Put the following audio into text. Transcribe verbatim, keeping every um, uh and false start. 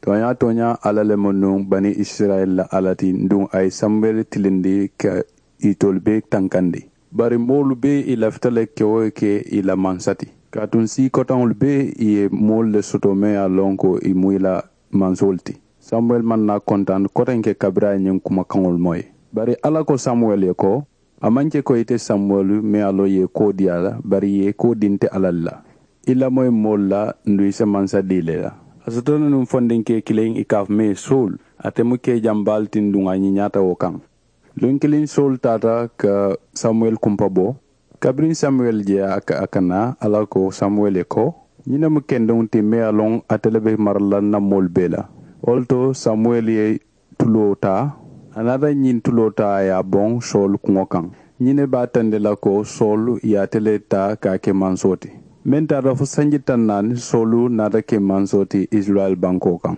Tooñaa-tooñaa, alla le mu nuŋ bani isirayila la alla ti. Nduŋ a ye samuwɛli tilindi ka itolu bee tankandi. Bari moolu bee i lafita le ke wo ke i la mansa ti. Kaatu n sii kotaŋolu bee i ye moolu le soto meŋ ye a loŋ ko i mu i la mansoolu ti. Samuwɛli maŋ naa kontaani kotenke kabiriŋ a ye ñiŋ kumakaŋolu moyi. Bari alla ko samuwɛli ye ko, a maŋ ke ko ite samuwɛli meŋ ye a loŋ i ye koo dii a la, bari i ye koo dii nte alla le la. I lamoyi moolu la nduŋ i si mansa dii le la. A soto le nuŋ fondinke kiliŋ i ka a fo mee sowulu. Ate mu kee jambaa le ti nduŋ a ñiñaata wo kaŋ. Luŋ kiliŋ sowulu taata ka samuwɛli kumpa bo. Kabiriŋ samuwɛli je a ka a ka naa, alla ko samuwɛli ye ko, ñiŋ ne mu kendeŋo ti meŋ ye a loŋ ate le be mara la n na moolu bee la. Wo le to samuwɛli ye tuloo taa. A naata ñiŋ tuloo taa a ye a boŋ sowulu kuŋo kaŋ. Ñiŋ ne be a tandi la ko sowulu ye ate le taa ka a ke mansoo ti. Meŋ taata fo sanji taŋ naani sowulu naata ke mansoo ti isirayila bankoo kaŋ.